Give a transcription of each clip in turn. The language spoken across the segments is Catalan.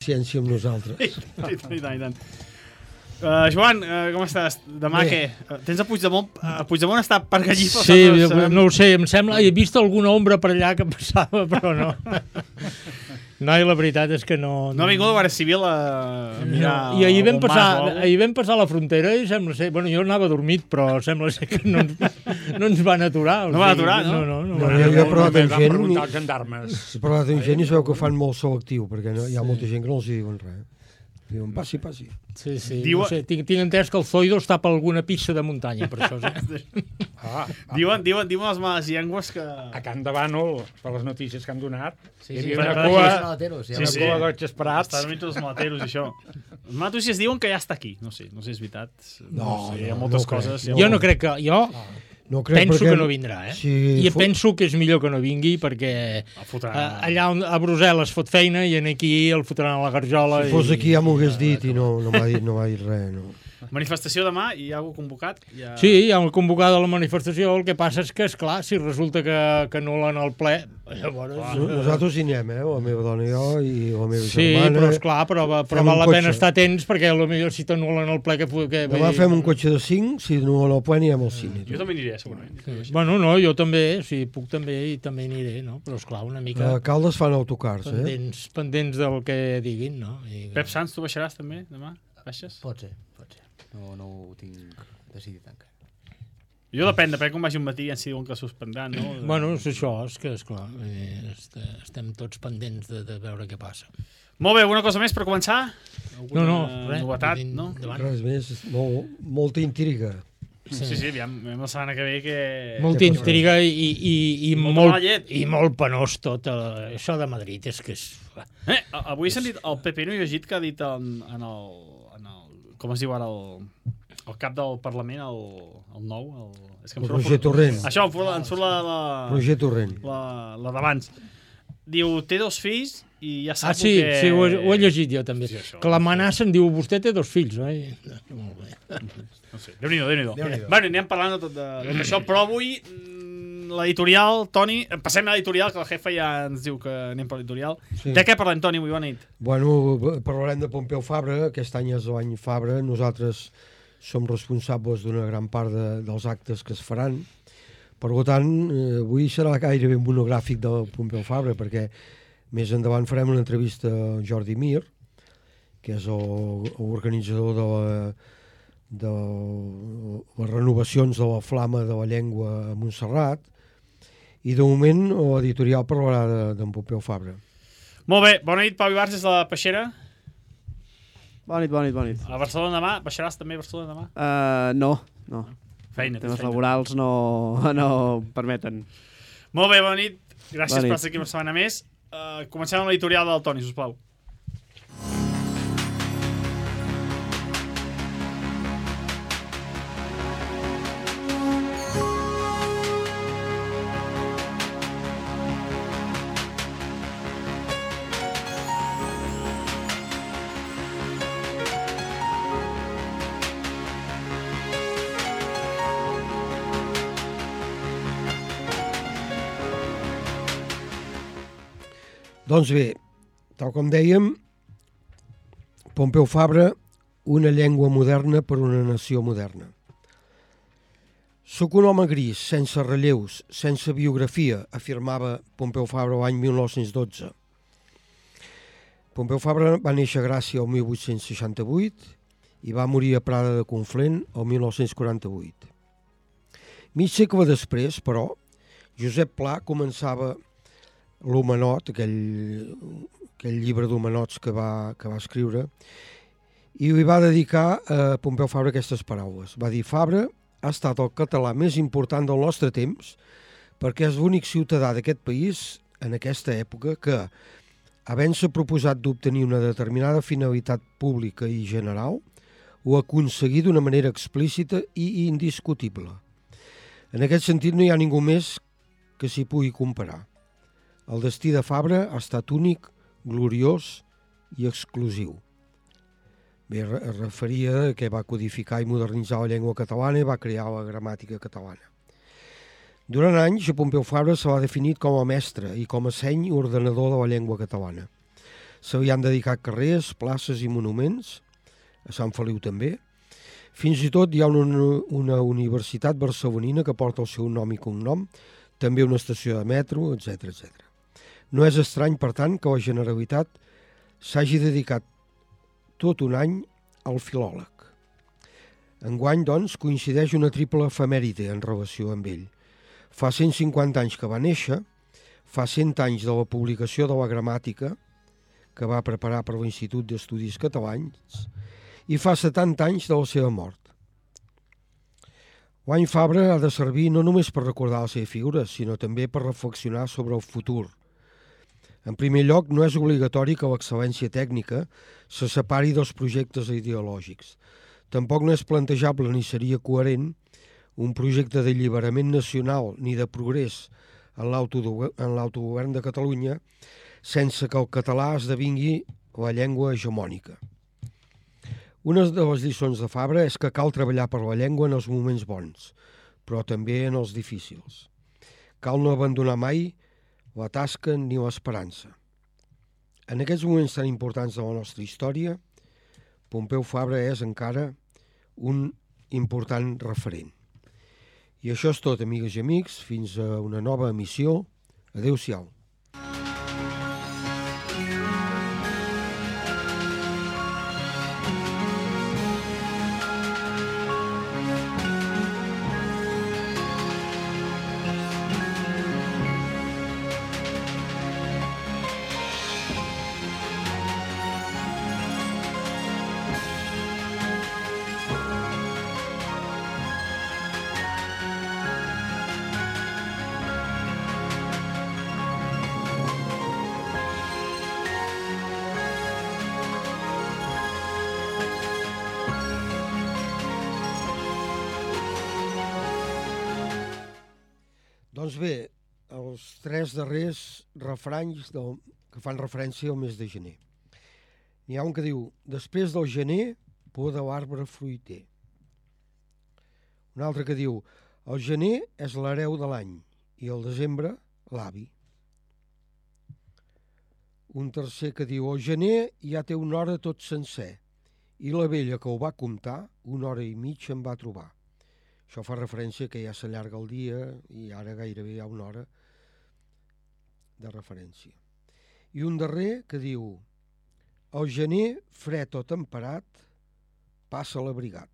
ciència amb nosaltres. I tant. Joan, com estàs? Demà què? Tens a Puigdemont? Puigdemont està per Gallifa? Sí, no ho sé, em sembla... He vist alguna ombra per allà que passava, però no. No, i la veritat és que no... No ha vingut la Guàrdia Civil a mirar... I ahir vam passar la frontera i sembla ser... Bueno, jo anava dormit, però sembla ser que no ens van aturar. No van aturar, no? No, jo he parlat amb gent... preguntar als gendarmes. He parlat amb gent i es veu que fan molt selectiu, perquè hi ha molta gent que no els diuen res. Diuen, passi. Sí. No sé, tinc entès que el Zoido està per alguna pista de muntanya, per això. Sí. Diuen les males llengües que... A Can de Bànol, per les notícies que han donat, hi havia per una cua d'oig esperats. Estan mig tots els malateros i això. Les males notícies diuen que ja està aquí. No sé, és veritat. No sé, hi ha moltes coses. Jo no crec que... Penso que no vindrà, eh? I penso que és millor que no vingui perquè allà a Brussel·les fot feina i aquí el fotran a la garjola. Si fos aquí ja m'ho hagués dit i no m'ha dit res, no. Manifestació demà, hi ha algú convocat? Sí, hi ha un convocat a la manifestació, el que passa és que, esclar, si resulta que anul·len el ple, llavors... Nosaltres hi anem, la meva dona i jo, i la meva germana... Sí, però esclar, però val la pena estar atents, perquè potser si t'anul·len el ple... Demà fem un cotxe de 5, si anul·len el ple anirem al cine. Jo també aniré, segurament. Bueno, no, jo també, si puc també, i també aniré, no? Però esclar, una mica... A Caldes fan autocars, pendents del que diguin, no? Pep Sanz, tu baixaràs també demà? Baixes? Pot ser. No ho tinc decidit encara. Jo depèn com vagi un matí i ens diuen que suspendran, no? Bueno, és això, és que, esclar, estem tots pendents de veure què passa. Molt bé, alguna cosa més per començar? No, res. Novetat, no? Res més, molta intriga. Sí, aviam la setmana que ve que... Molta intriga i molt penós tot. Això de Madrid és que és... Avui he sentit el PP, no he llegit que ha dit en el com es diu ara el cap del Parlament, el nou... El Roger Torrent. Això, em surt la... Roger Torrent. La d'abans. Diu, té 2 fills i ja sap que... Sí, ho he llegit jo també. Sí, que l'amenaça em diu, vostè té 2 fills, oi? Molt bé. No sé, Déu-n'hi-do. Bueno, anem parlant de tot això, però avui l'editorial, Toni, passem a l'editorial, que el jefe ja ens diu que anem per l'editorial. Sí. De què parlem, Toni, avui? Bona nit. Bueno, parlarem de Pompeu Fabra, aquest any és l'any Fabra, nosaltres som responsables d'una gran part dels actes que es faran, per tant, avui serà gairebé un monogràfic de Pompeu Fabra, perquè més endavant farem una entrevista a Jordi Mir, que és l'organitzador de les renovacions de la Flama de la Llengua a Montserrat, i de moment l'editorial parlarà d'en Pompeu Fabra. Molt bé, bona nit, Pau Ibarz, des de la Peixera. Bona nit. A Barcelona demà, baixaràs també a Barcelona demà? No. Feina. Temes laborals no permeten. Molt bé, bona nit. Gràcies per estar aquí una setmana més. Comencem amb l'editorial del Toni, sisplau. Doncs bé, tal com dèiem, Pompeu Fabra, una llengua moderna per una nació moderna. Soc un home gris, sense relleus, sense biografia, afirmava Pompeu Fabra l'any 1912. Pompeu Fabra va néixer a Gràcia el 1868 i va morir a Prada de Conflent el 1948. Mig segle després, però, Josep Pla començava l'Homenot, aquell llibre d'homenots que va escriure, i li va dedicar a Pompeu Fabra aquestes paraules. Va dir, Fabra ha estat el català més important del nostre temps perquè és l'únic ciutadà d'aquest país en aquesta època que, havent-se proposat d'obtenir una determinada finalitat pública i general, ho ha aconseguit d'una manera explícita i indiscutible. En aquest sentit no hi ha ningú més que s'hi pugui comparar. El destí de Fabra ha estat únic, gloriós i exclusiu. Bé, es referia que va codificar i modernitzar la llengua catalana i va crear la gramàtica catalana. Durant anys, a Pompeu Fabra se l'ha definit com a mestre i com a seny ordenador de la llengua catalana. S'havien dedicat carrers, places i monuments, a Sant Feliu també. Fins i tot hi ha una universitat barcelonina que porta el seu nom i cognom, també una estació de metro, etc etc. No és estrany, per tant, que la Generalitat s'hagi dedicat tot un any al filòleg. Enguany, doncs, coincideix una triple efemèride en relació amb ell. Fa 150 anys que va néixer, fa 100 anys de la publicació de la gramàtica, que va preparar per l'Institut d'Estudis Catalans, i fa 70 anys de la seva mort. L'any Fabra ha de servir no només per recordar la seva figura, sinó també per reflexionar sobre el futur. En primer lloc, no és obligatori que l'excel·lència tècnica se separi dels projectes ideològics. Tampoc no és plantejable ni seria coherent un projecte d'alliberament nacional ni de progrés en l'autogovern de Catalunya sense que el català esdevingui la llengua hegemònica. Una de les lliçons de Fabra és que cal treballar per la llengua en els moments bons, però també en els difícils. Cal no abandonar mai la tasca ni l'esperança. En aquests moments tan importants de la nostra història, Pompeu Fabra és encara un important referent. I això és tot, amigues i amics. Fins a una nova emissió. Adéu-siau. Doncs bé, els tres darrers refranys que fan referència al mes de gener. N'hi ha un que diu: després del gener, poda l'arbre fruiter. Un altre que diu: el gener és l'hereu de l'any i el desembre l'avi. Un tercer que diu: el gener ja té una hora tot sencer i la vella que ho va comptar 1 hora i mitja em va trobar. Això fa referència que ja s'allarga el dia i ara gairebé hi ha 1 hora de referència. I un darrer que diu: el gener, fred o temperat, passa l'abrigat.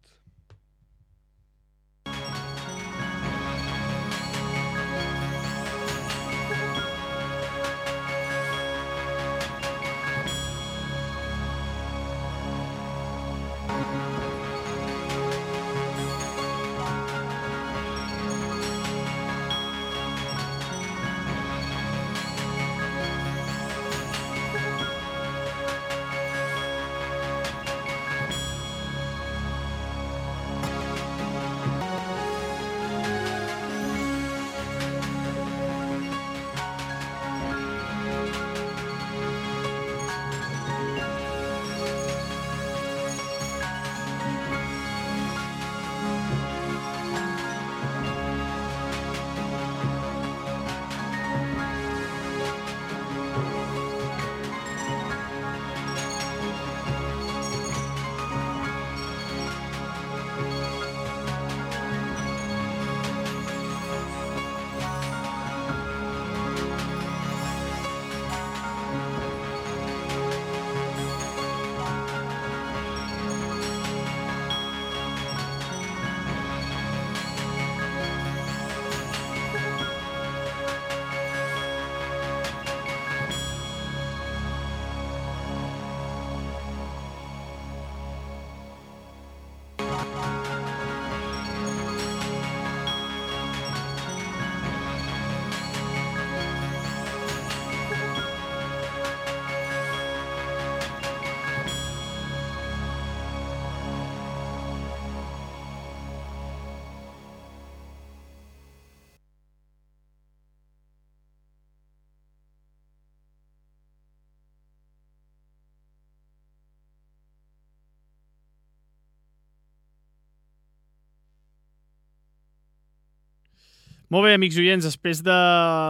Molt bé, amics oients, després de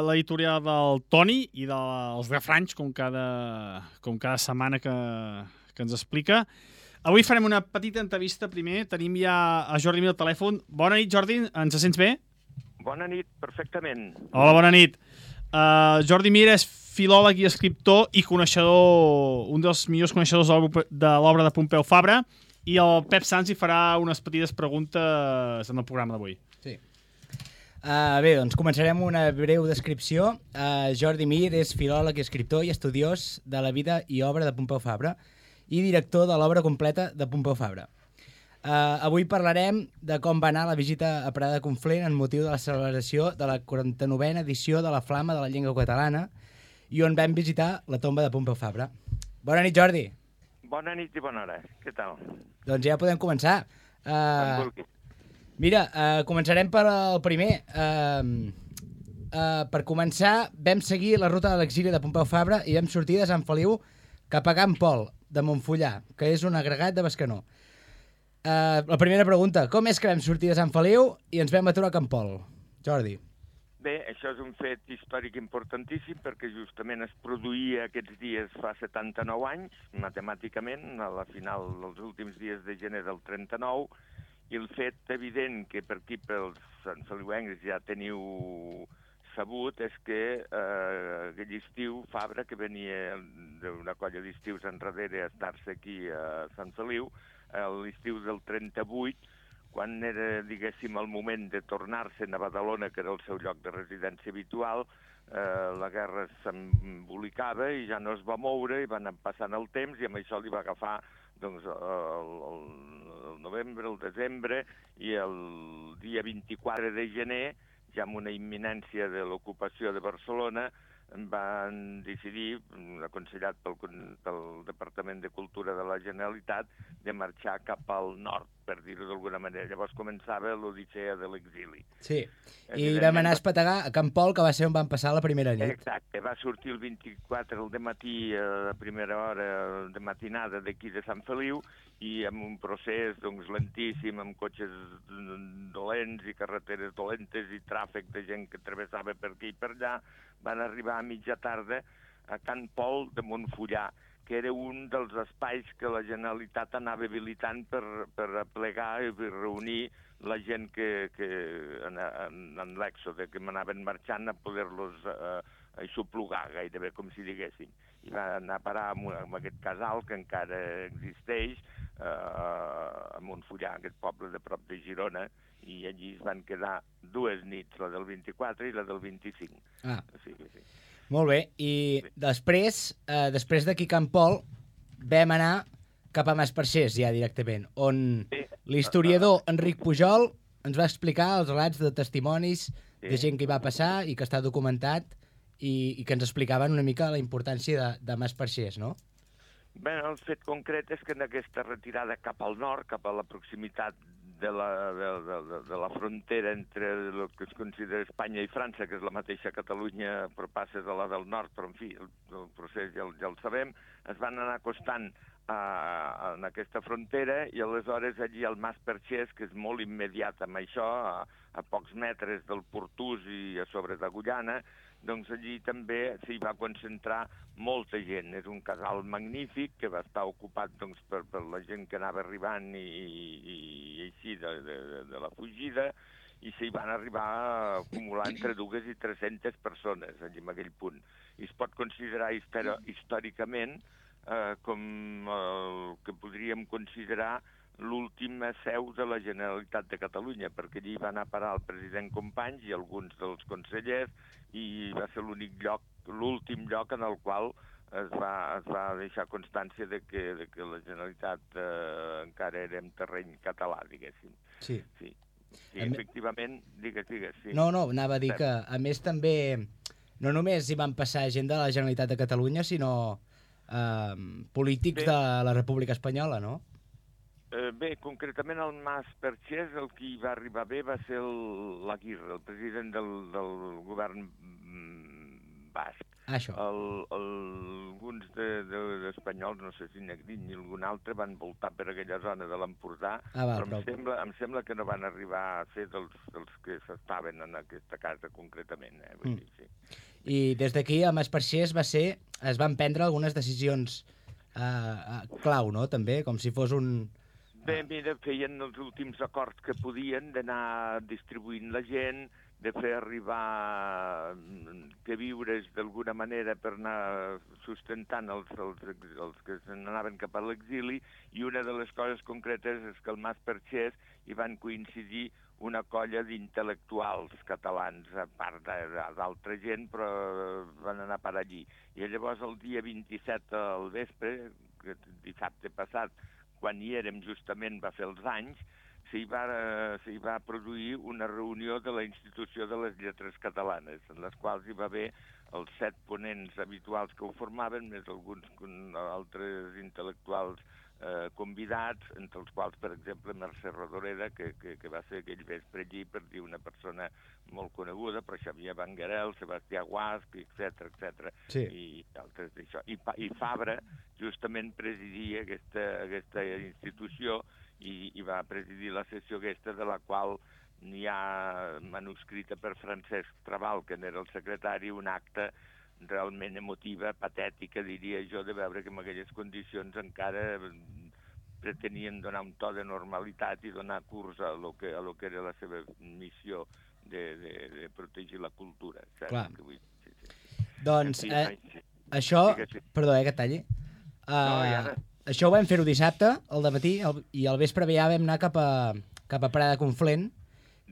l'editorial del Toni i dels refranys, com cada setmana que ens explica, avui farem una petita entrevista primer. Tenim ja a Jordi Mir al telèfon. Bona nit, Jordi, ens sents bé? Bona nit, perfectament. Hola, bona nit. Jordi Mir és filòleg i escriptor i coneixedor, un dels millors coneixedors de l'obra de Pompeu Fabra, i el Pep Sans hi farà unes petites preguntes en el programa d'avui. Sí. Bé, doncs començarem una breu descripció. Jordi Mir és filòleg, escriptor i estudiós de la vida i obra de Pompeu Fabra i director de l'obra completa de Pompeu Fabra. Avui parlarem de com va anar la visita a Prada de Conflent en motiu de la celebració de la 49a edició de la Flama de la Llengua Catalana i on vam visitar la tomba de Pompeu Fabra. Bona nit, Jordi. Bona nit i bona hora. Què tal? Doncs ja podem començar. Mira, començarem per el primer. Per començar, vam seguir la ruta de l'exili de Pompeu Fabra i vam sortir de Sant Feliu cap a Can Pol, de Montfullà, que és un agregat de Bescanó. La primera pregunta, com és que vam sortir de Sant Feliu i ens vam aturar a Can Pol? Jordi. Bé, això és un fet històric importantíssim perquè justament es produïa aquests dies fa 79 anys, matemàticament, a la final dels últims dies de gener del 39, i el fet evident que per aquí pels santfeliuencs ja teniu sabut és que aquell estiu Fabra, que venia d'una colla d'estius enrere a estar-se aquí a Sant Feliu, l'estiu del 38, quan era, diguéssim, el moment de tornar-se'n a Badalona, que era el seu lloc de residència habitual, la guerra s'embolicava i ja no es va moure i va anar passant el temps i amb això li va agafar doncs, el novembre, el desembre i el dia 24 de gener, ja amb una imminència de l'ocupació de Barcelona, van decidir, aconsellat pel Departament de Cultura de la Generalitat, de marxar cap al nord, per dir-ho d'alguna manera. Llavors començava l'odissea de l'exili. Sí, i vam anar a espetegar a Can Pol, que va ser on van passar la primera nit. Exacte, va sortir el 24 al dematí, a primera hora de matinada d'aquí de Sant Feliu, i amb un procés doncs, lentíssim, amb cotxes dolents i carreteres dolentes i tràfic de gent que travessava per aquí i per allà, van arribar a mitja tarda a Can Pol de Montfullà, que era un dels espais que la Generalitat anava habilitant per aplegar i per reunir la gent que en l'èxode, que m'anaven marxant a poder-los aixoplugar, gairebé com si diguéssim. I va anar a parar amb aquest casal que encara existeix, a Montfullà, aquest poble de prop de Girona, i allí es van quedar 2 nits, la del 24 i la del 25. Ah. Sí. Molt bé, i després d'aquí Can Pol, vam anar cap a Masparxers ja directament, on l'historiador Enric Pujol ens va explicar els relats de testimonis de gent que hi va passar i que està documentat i que ens explicaven una mica la importància de Masparxers, no? Bé, el fet concret és que en aquesta retirada cap al nord, cap a la proximitat de la frontera entre el que es considera Espanya i França, que és la mateixa Catalunya, però passes a la del nord, però en fi, el procés ja el sabem, es van anar acostant en aquesta frontera i aleshores allí al Mas Perxers, que és molt immediat amb això, a pocs metres del Portús i a sobre d'Agullana, doncs allí també s'hi va concentrar molta gent. És un casal magnífic que va estar ocupat doncs, per la gent que anava arribant i així de la fugida, i s'hi van arribar a acumular entre 200 i 300 persones allí en aquell punt. I es pot considerar històricament com el que podríem considerar l'última seu de la Generalitat de Catalunya, perquè allí va anar a parar el president Companys i alguns dels consellers, i va ser l'últim lloc en el qual es va deixar constància de que la Generalitat encara era en terreny català, diguéssim. Sí, efectivament, digues, sí. No, anava a dir que, a més, també, no només hi van passar gent de la Generalitat de Catalunya, sinó polítics de la República Espanyola, no? Bé, concretament al Mas Perxers el que hi va arribar bé va ser l'Aguirre, el president del govern basc. Això. Alguns d'espanyols, no sé si Negrín ni algun altre, van voltar per aquella zona de l'Empordà, però em sembla que no van arribar a ser dels que s'estaven en aquesta casa concretament. Vull dir, sí. I des d'aquí a Masperxers es van prendre algunes decisions clau, no?, també, com si fos un... Bé, mira, feien els últims acords que podien d'anar distribuint la gent, de fer arribar queviures d'alguna manera per anar sustentant els que n'anaven cap a l'exili, i una de les coses concretes és que al Masperxers hi van coincidir una colla d'intel·lectuals catalans, a part d'altra gent, però van anar per allí. I llavors el dia 27 al vespre, dissabte passat, quan hi érem justament va fer els anys, s'hi va produir una reunió de la Institució de les Lletres Catalanes, en les quals hi va haver els 7 ponents habituals que ho formaven, més alguns altres intel·lectuals convidats, entre els quals, per exemple, Mercè Rodoreda, que va ser aquell vespre allí, per dir una persona molt coneguda, però Xavier Banguerel, Sebastià Guasc, etc. Sí. I altres d'això. I Fabra justament presidia aquesta institució, i va presidir la sessió aquesta, de la qual n'hi ha manuscrita per Francesc Trabal, que n'era el secretari, un acte realment emotiva, patètica, diria jo, de veure que en aquelles condicions encara pretenien donar un to de normalitat i donar curs a lo que era la seva missió de protegir la cultura. Clar. Doncs, això... Perdó, que talli. Això ho vam fer-ho dissabte, al dematí, i al vespre ja vam anar cap a Prada de Conflent,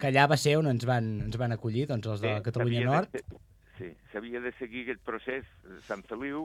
que allà va ser on ens van acollir, doncs, els de la Catalunya Nord. Sí, s'havia de seguir aquest procés. Sant Feliu,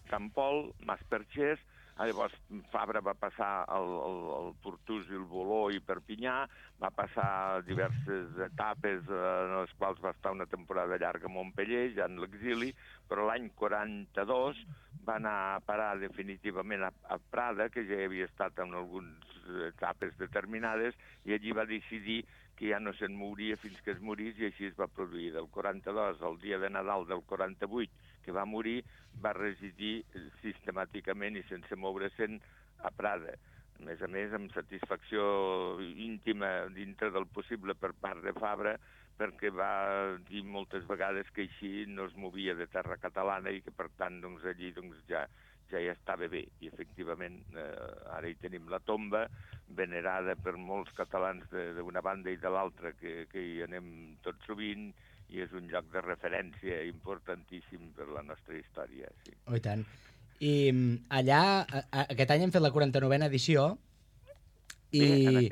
Sant Pol, Masperxers, llavors Fabra va passar el Portús i el Voló i Perpinyà, va passar diverses etapes en les quals va estar una temporada llarga a Montpeller, ja en l'exili, però l'any 42 va anar a parar definitivament a Prada, que ja havia estat en algunes etapes determinades, i allí va decidir que ja no se'n mouria fins que es morís, i així es va produir. Del 42 al dia de Nadal del 48, que va morir, va residir sistemàticament i sense moure-se'n a Prada. A més, amb satisfacció íntima dintre del possible per part de Fabra, perquè va dir moltes vegades que així no es movia de terra catalana i que, per tant, allí ja hi estava bé. I, efectivament, ara hi tenim la tomba, venerada per molts catalans d'una banda i de l'altra, que hi anem tot sovint, i és un lloc de referència importantíssim per la nostra història. Sí. Oh, i tant. I allà, aquest any hem fet la 49a edició, i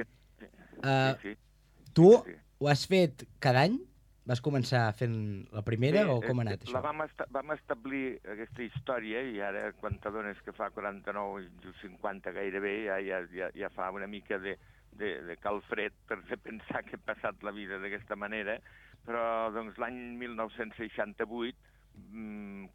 tu ho has fet cada any? Vas començar fent la primera o com ha anat això? Vam establir aquesta història, i ara quan t'adones que fa 49 i 50 gairebé, ja fa una mica de calfred per pensar que he passat la vida d'aquesta manera, però l'any 1968,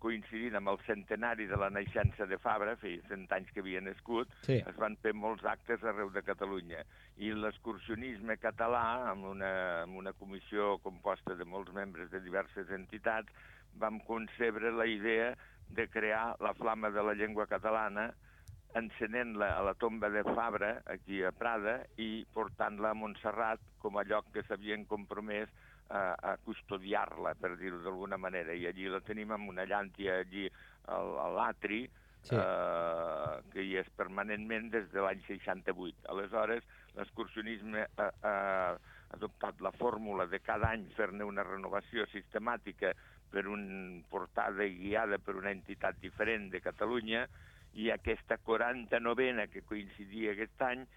coincidint amb el centenari de la naixença de Fabra, feia 100 anys que havia nascut, sí, es van fer molts actes arreu de Catalunya. I l'excursionisme català, amb una comissió composta de molts membres de diverses entitats, vam concebre la idea de crear la flama de la llengua catalana, encenent-la a la tomba de Fabra, aquí a Prada, i portant-la a Montserrat com a lloc que s'havien compromès a custodiar-la, per dir-ho d'alguna manera. I allí la tenim amb una llàntia allí a l'atri, sí, que hi és permanentment des de l'any 68. Aleshores, l'excursionisme ha adoptat la fórmula de cada any fer-ne una renovació sistemàtica per una portada guiada per una entitat diferent de Catalunya, i aquesta 49a que coincidia aquest any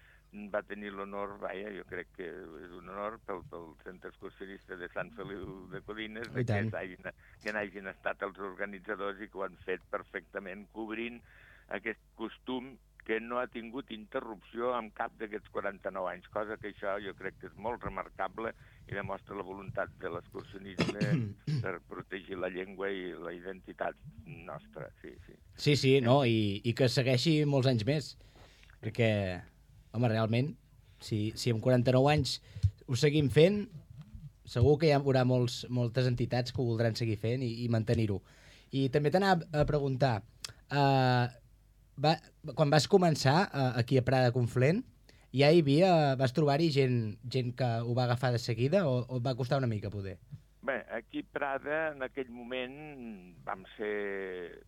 va tenir l'honor, jo crec que és un honor pel Centre Excursionista de Sant Feliu de Codines, que n'hagin estat els organitzadors i que ho han fet perfectament, cobrint aquest costum que no ha tingut interrupció en cap d'aquests 49 anys, cosa que això jo crec que és molt remarcable i demostra la voluntat de l'excursionisme per protegir la llengua i la identitat nostra. Sí, no, i que segueixi molts anys més, perquè, home, realment, si en 49 anys ho seguim fent, segur que hi haurà moltes entitats que ho voldran seguir fent i mantenir-ho. I també t'anava a preguntar, quan vas començar aquí a Prada Conflent, ja hi havia, vas trobar-hi gent que ho va agafar de seguida o et va costar una mica poder? Bé, aquí a Prada en aquell moment vam ser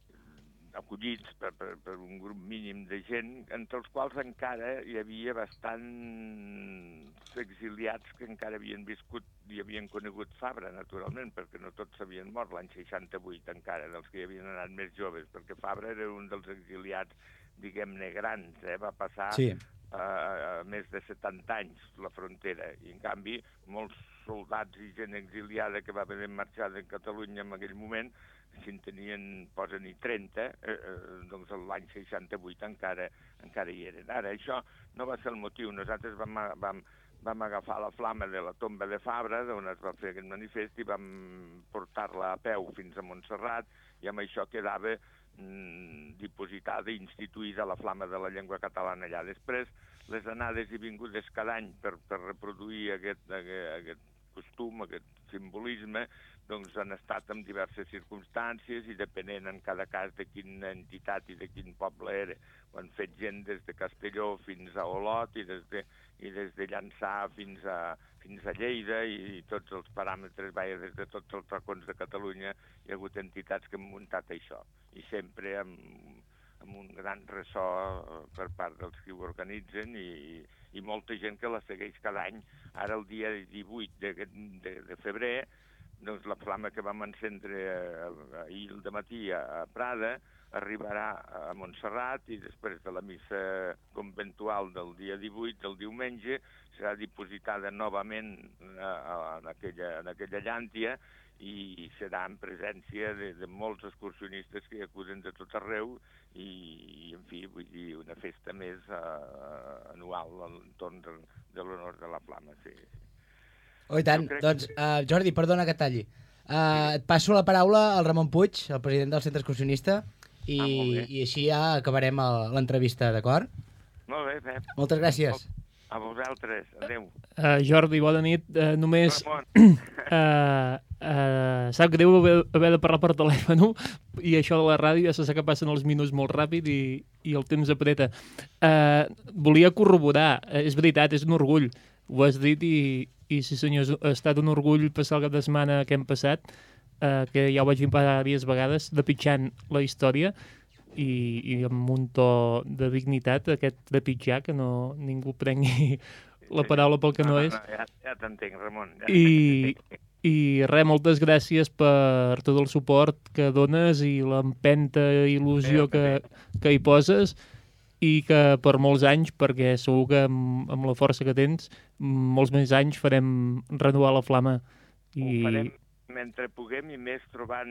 acollits per un grup mínim de gent, entre els quals encara hi havia bastants exiliats que encara havien viscut i havien conegut Fabra, naturalment, perquè no tots s'havien mort l'any 68 encara, dels que hi havien anat més joves, perquè Fabra era un dels exiliats, diguem-ne, grans, va passar a més de 70 anys la frontera, i en canvi molts soldats i gent exiliada que va haver marxat de Catalunya en aquell moment, si en tenien, posa-n'hi 30, doncs l'any 68 encara hi eren. Ara, això no va ser el motiu. Nosaltres vam agafar la flama de la tomba de Fabra, d'on es va fer aquest manifest, i vam portar-la a peu fins a Montserrat, i amb això quedava dipositada i instituïda la flama de la llengua catalana allà. Després, les anades i vingudes cada any per reproduir aquest costum, aquest simbolisme, doncs han estat en diverses circumstàncies i depenent en cada cas de quina entitat i de quin poble era. Ho han fet gent des de Castelló fins a Olot i des de Llançà fins a Lleida i tots els paràmetres, des de tots els racons de Catalunya hi ha hagut entitats que han muntat això. I sempre amb un gran ressò per part dels que ho organitzen i molta gent que la segueix cada any. Ara el dia 18 de febrer, doncs la flama que vam encendre ahir al matí a Prada arribarà a Montserrat i després de la missa conventual del dia 18, del diumenge, serà dipositada novament en aquella llàntia i serà en presència de molts excursionistes que hi acuden de tot arreu i en fi, vull dir, una festa més anual a l'entorn de l'honor de la flama, sí. Oh, i tant. Doncs, Jordi, perdona que talli. Et passo la paraula al Ramon Puig, el president del Centre Excursionista, i així ja acabarem l'entrevista, d'acord? Molt bé, Pep. Moltes gràcies. A vosaltres. Adéu. Jordi, bona nit. Només... sap greu haver de parlar per telèfon i això de la ràdio ja se sap que passen els minuts molt ràpid i el temps apreta. Volia corroborar, és veritat, és un orgull, ho has dit i sí senyor, ha estat un orgull passar el cap de setmana que hem passat, que ja ho vaig dir diverses vegades, trepitjant la història i amb un to de dignitat, aquest trepitjar, que ningú prengui la paraula pel que no és. Ja t'entenc, Ramon. I res, moltes gràcies per tot el suport que dones i l'empenta il·lusió que hi poses i que per molts anys, perquè segur que amb la força que tens, molts més anys farem renovar la flama. Ho farem mentre puguem i més trobant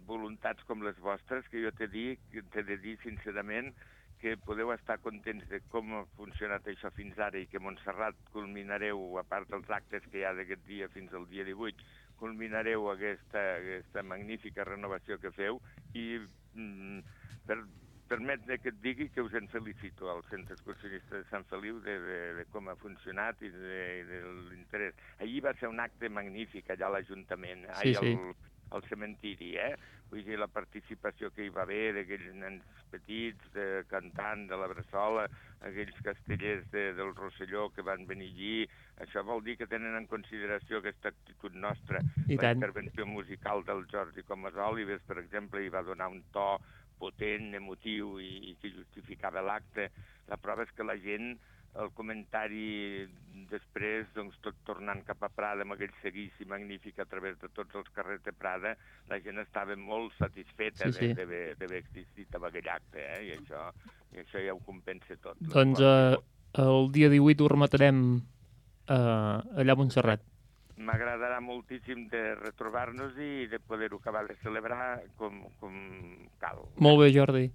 voluntats com les vostres, que jo t'he de dir sincerament que podeu estar contents de com ha funcionat això fins ara i que Montserrat culminareu, a part dels actes que hi ha d'aquest dia fins al dia 18, culminareu aquesta magnífica renovació que feu i permet que et digui que us en felicito al Centre Excursionista de Sant Feliu de com ha funcionat i de l'interès. Ahir va ser un acte magnífic allà a l'Ajuntament, al cementiri, Vull dir, la participació que hi va haver d'aquells nens petits, cantant de la Bressola, aquells castellers del Rosselló que van venir allí, això vol dir que tenen en consideració aquesta actitud nostra. La intervenció musical del Jordi Comas Olives, per exemple, hi va donar un to potent, emotiu i que justificava l'acte. La prova és que la gent, el comentari després, doncs, tot tornant cap a Prada amb aquell seguici magnífic a través de tots els carrers de Prada, la gent estava molt satisfeta d'haver existit amb aquell acte, i això ja ho compensa tot. Doncs el dia 18 ho rematarem allà a Montserrat. M'agradarà moltíssim de retrobar-nos i de poder-ho acabar de celebrar com cal. Molt bé, Jordi.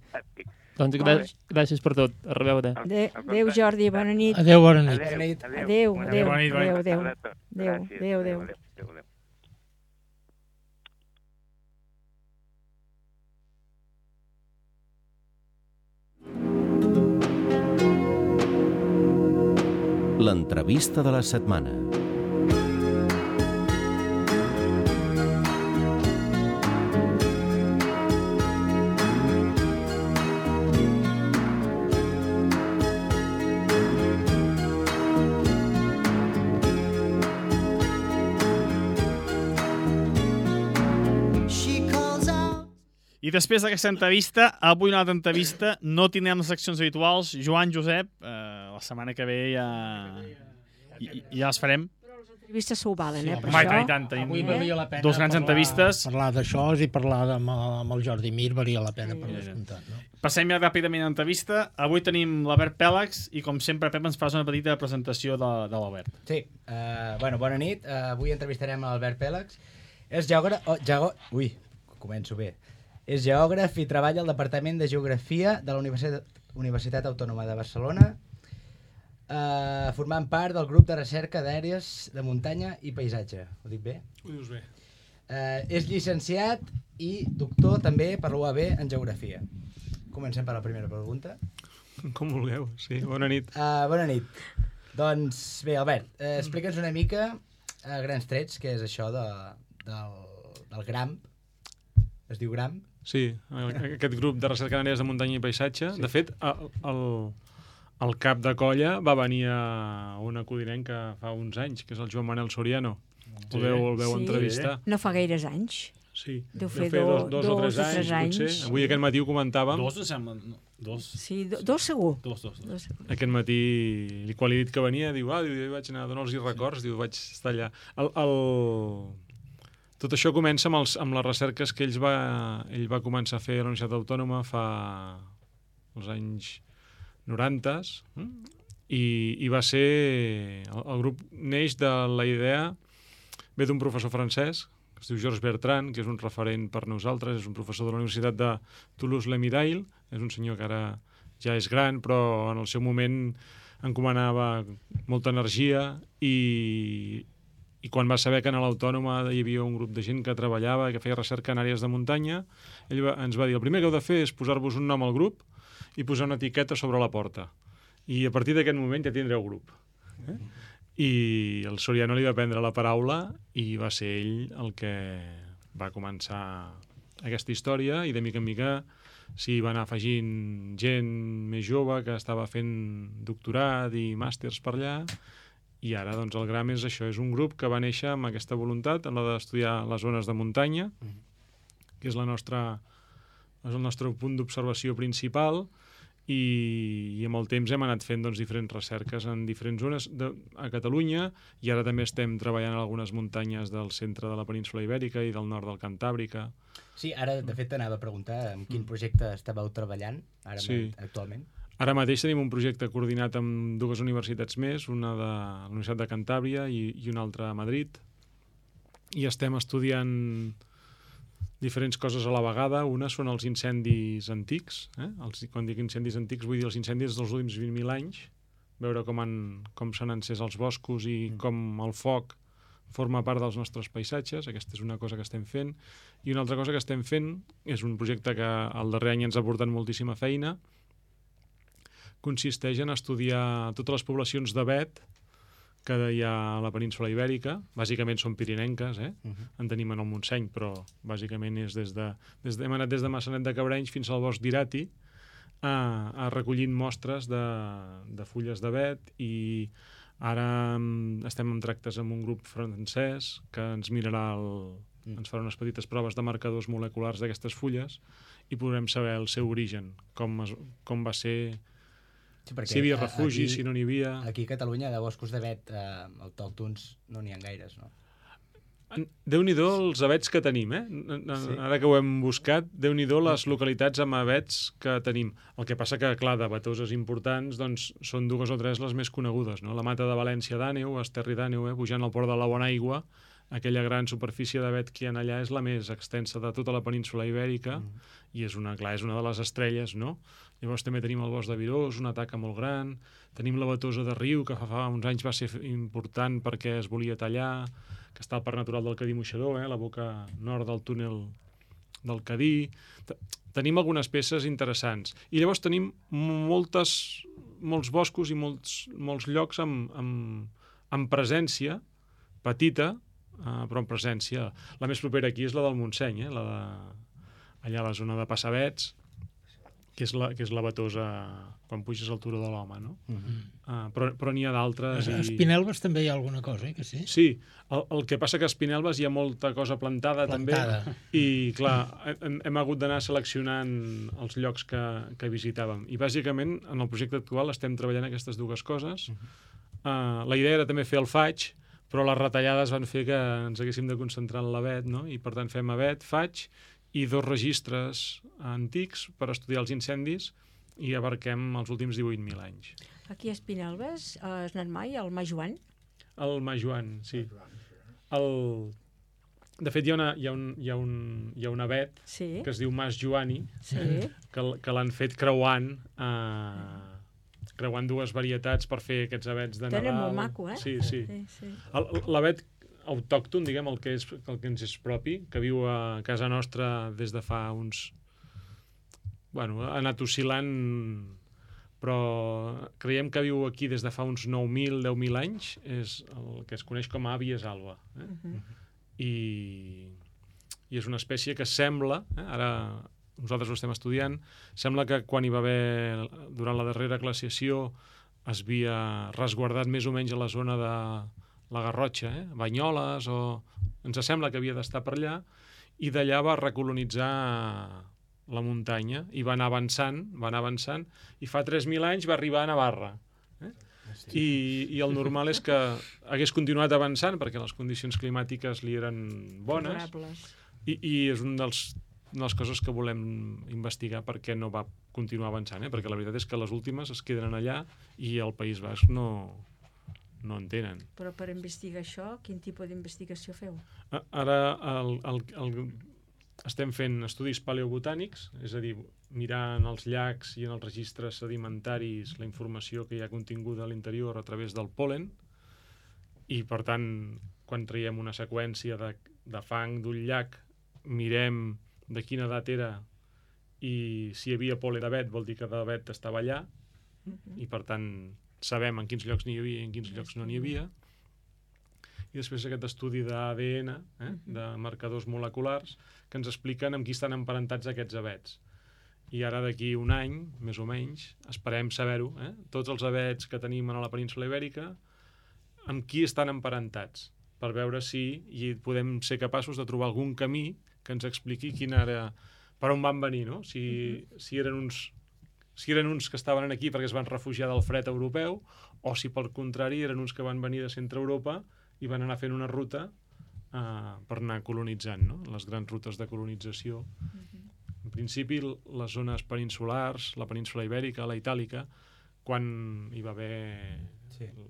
Doncs gràcies per tot. A reveure. Adéu, Jordi, bona nit. Adéu, bona nit. Adéu. L'entrevista de la setmana. després d'aquesta entrevista, avui una altra entrevista, no tindrem les seccions habituals. Joan, Josep, la setmana que ve ja les farem. Entrevistes s'ho valen, per Home, això. i tant, tenim Avui valia la pena dos grans entrevistes. Parlar d'això i parlar amb el Jordi Mir valia la pena per descomptat. No? Passem ja ràpidament a l'entrevista. Avui tenim l'Albert Pèlex i, com sempre, Pep, ens fas una petita presentació de l'Albert. Sí, bona nit. Avui entrevistarem l'Albert Pèlex. És geògraf... Ui, començo bé. És geògraf i treballa al Departament de Geografia de la Universitat Autònoma de Barcelona, formant part del grup de recerca d'àrees de muntanya i paisatge. Ho dic bé? Ho dius bé. És llicenciat i doctor també per l'UAB en Geografia. Comencem per la primera pregunta. Com vulgueu, sí. Bona nit. Bona nit. Doncs bé, Albert, explica'ns una mica a grans trets què és això del GRAMP. Es diu GRAMP? Sí, aquest grup de recerca d'àrees de muntanya i paisatge. Sí. De fet, el cap de colla va venir a una codinenca fa uns anys, que és el Joan Manel Soriano. Sí. El veu entrevistar. No fa gaires anys. Sí, deu fer dos o tres anys. Potser. Avui aquest matí ho comentàvem. Dos, sembla. Dos. Sí, dos segur. Dos. Aquest matí, quan li he dit que venia, diu, vaig anar a donar-los records, diu, vaig estar allà. Tot això comença amb les recerques que ell va començar a fer a la Universitat Autònoma fa els anys 90 i va ser... El grup neix de la idea, ve d'un professor francès, que es diu Georges Bertrand, que és un referent per nosaltres, és un professor de la Universitat de Toulouse-le-Mirail, és un senyor que ara ja és gran, però en el seu moment encomanava molta energia i quan va saber que a l'Autònoma hi havia un grup de gent que treballava, que feia recerca en àrees de muntanya, ell ens va dir, el primer que heu de fer és posar-vos un nom al grup i posar una etiqueta sobre la porta. I a partir d'aquest moment ja tindreu grup. I el Soriano li va prendre la paraula i va ser ell el que va començar aquesta història i de mica en mica s'hi va anar afegint gent més jove que estava fent doctorat i màsters per allà. I ara, doncs, el GRAM és això, és un grup que va néixer amb aquesta voluntat, en la d'estudiar les zones de muntanya, que és el nostre punt d'observació principal, i amb el temps hem anat fent diferents recerques en diferents zones a Catalunya, i ara també estem treballant en algunes muntanyes del centre de la península Ibèrica i del nord del Cantàbrica. Sí, ara, de fet, t'anava a preguntar en quin projecte estàveu treballant actualment. Ara mateix tenim un projecte coordinat amb dues universitats més, una de la Universitat de Cantàbria i una altra a Madrid, i estem estudiant diferents coses a la vegada. Una són els incendis antics. Quan dic incendis antics vull dir els incendis dels últims 20.000 anys, veure com s'han encès els boscos i com el foc forma part dels nostres paisatges. Aquesta és una cosa que estem fent. I una altra cosa que estem fent és un projecte que el darrer any ens ha portat moltíssima feina. Consisteix en estudiar totes les poblacions d'avet que hi ha a la península Ibèrica. Bàsicament són pirinenques, en tenim en el Montseny, però bàsicament és hem anat des de Massanet de Cabrenys fins al bosc d'Irati recollint mostres de fulles d'avet, i ara estem en tractes amb un grup francès que ens mirarà ens farà unes petites proves de marcadors moleculars d'aquestes fulles i podrem saber el seu origen, com va ser... Sí, si hi havia refugi, si no n'hi havia... Aquí a Catalunya de boscos d'avet autòctons no n'hi ha gaires, no? Déu-n'hi-do els avets que tenim, Sí. Ara que ho hem buscat, Déu-n'hi-do les localitats amb avets que tenim. El que passa que, clar, d'avetoses importants, doncs, són dues o tres les més conegudes, no? La Mata de València d'Àneu, Esterri d'Àneu, pujant al port de la Bonaigua, aquella gran superfície d'avet que hi ha allà és la més extensa de tota la península Ibèrica, i és una de les estrelles, no? Llavors també tenim el bosc de Virós, una taca molt gran, tenim la Batosa de Riu, que fa uns anys va ser important perquè es volia tallar, que està al Parc Natural del Cadí-Moixador, la boca nord del túnel del Cadí. Tenim algunes peces interessants. I llavors tenim molts boscos i molts llocs amb presència, petita, però amb presència. La més propera aquí és la del Montseny, allà a la zona de Passavets, que és la Batosa quan puges al Turó de l'Home, no? Però n'hi ha d'altres. A Espinelves també hi ha alguna cosa, que sí? Sí, el que passa que a Espinelves hi ha molta cosa plantada. També, i clar, hem hagut d'anar seleccionant els llocs que visitàvem. I bàsicament, en el projecte actual estem treballant aquestes dues coses. La idea era també fer el faig, però les retallades van fer que ens haguéssim de concentrar en l'Avet, no? I per tant fem Avet, faig, i 2 registres antics per estudiar els incendis i abarquem els últims 18.000 anys. Aquí a Espinelves has anat mai al Mas Joan? El Mas Joan, sí. De fet, hi ha un avet que es diu Mas Joani, que l'han fet creuant dues varietats per fer aquests avets de Nadal. Tenen molt maco, eh? Sí. L'avet autòcton, diguem, el que ens és propi, que viu a casa nostra des de fa uns... Bueno, ha anat oscil·lant, però creiem que viu aquí des de fa uns 9.000, 10.000 anys, és el que es coneix com a Abies alba. I és una espècie que sembla, ara nosaltres ho estem estudiant, sembla que quan hi va haver, durant la darrera glaciació, es havia resguardat més o menys a la zona de la Garrotxa, Banyoles, ens sembla que havia d'estar per allà, i d'allà va recolonitzar la muntanya i va anar avançant, i fa 3.000 anys va arribar a Navarra. I el normal és que hagués continuat avançant perquè les condicions climàtiques li eren bones, i és una de les coses que volem investigar perquè no va continuar avançant, perquè la veritat és que les últimes es queden allà i el País Basc no en tenen. Però per investigar això, quin tipus d'investigació feu? Ara estem fent estudis paleobotànics, és a dir, mirar en els llacs i en els registres sedimentaris la informació que hi ha continguda a l'interior a través del pol·len, i per tant, quan traiem una seqüència de fang d'un llac, mirem de quina edat era i si hi havia pol·len d'avet vol dir que d'avet estava allà, i per tant sabem en quins llocs n'hi havia i en quins llocs no n'hi havia. I després aquest estudi d'ADN, de marcadors moleculars, que ens expliquen amb qui estan emparentats aquests avets. I ara d'aquí un any, més o menys, esperem saber-ho, tots els avets que tenim a la península Ibèrica, amb qui estan emparentats, per veure si podem ser capaços de trobar algun camí que ens expliqui per on van venir, no? Si eren uns que estaven aquí perquè es van refugiar del fred europeu, o si pel contrari eren uns que van venir de centre Europa i van anar fent una ruta per anar colonitzant, no? Les grans rutes de colonització. En principi, les zones peninsulars, la península Ibèrica, la Itàlica, quan hi va haver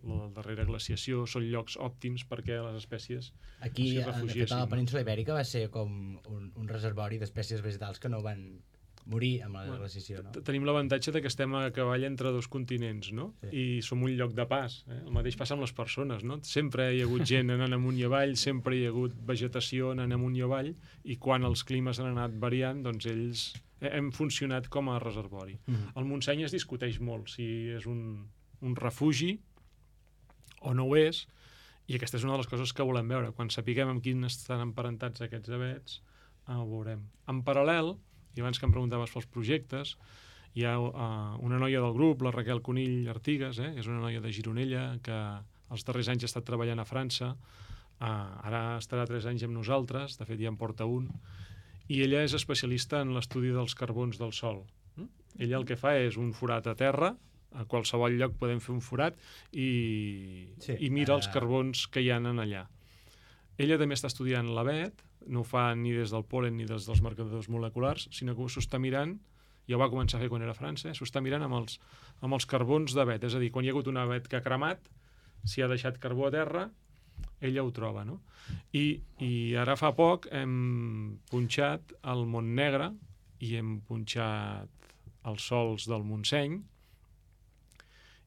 la darrera glaciació, són llocs òptims perquè les espècies s'hi refugiessin. Aquí, a la península Ibèrica va ser com un reservori d'espècies vegetals que no van morir amb la glaciació, no? Tenim l'avantatge que estem a cavall entre 2 continents, no? I som un lloc de pas. El mateix passa amb les persones, no? Sempre hi ha hagut gent anant amunt i avall, sempre hi ha hagut vegetació anant amunt i avall, i quan els climes han anat variant, doncs ells hem funcionat com a reservori. El Montseny es discuteix molt si és un refugi o no ho és, i aquesta és una de les coses que volem veure. Quan sapiguem amb quins estan emparentats aquests avets, ho veurem. En paral·lel, i abans que em preguntaves pels projectes, hi ha una noia del grup, la Raquel Conill Artigas, és una noia de Gironella que els darrers anys ha estat treballant a França, ara estarà 3 anys amb nosaltres, de fet ja en porta un, i ella és especialista en l'estudi dels carbons del sòl. Ella el que fa és un forat a terra, a qualsevol lloc podem fer un forat, i mira els carbons que hi ha allà. Ella també està estudiant l'avet, no ho fa ni des del pol·len ni des dels marcadors moleculars, sinó que s'ho està mirant, ja ho va començar a fer quan era a França, s'ho està mirant amb els carbons d'avet, és a dir, quan hi ha hagut un avet que ha cremat, si ha deixat carbó a terra, ella ho troba, no? I ara fa poc hem punxat el Montnegre i hem punxat els sòls del Montseny,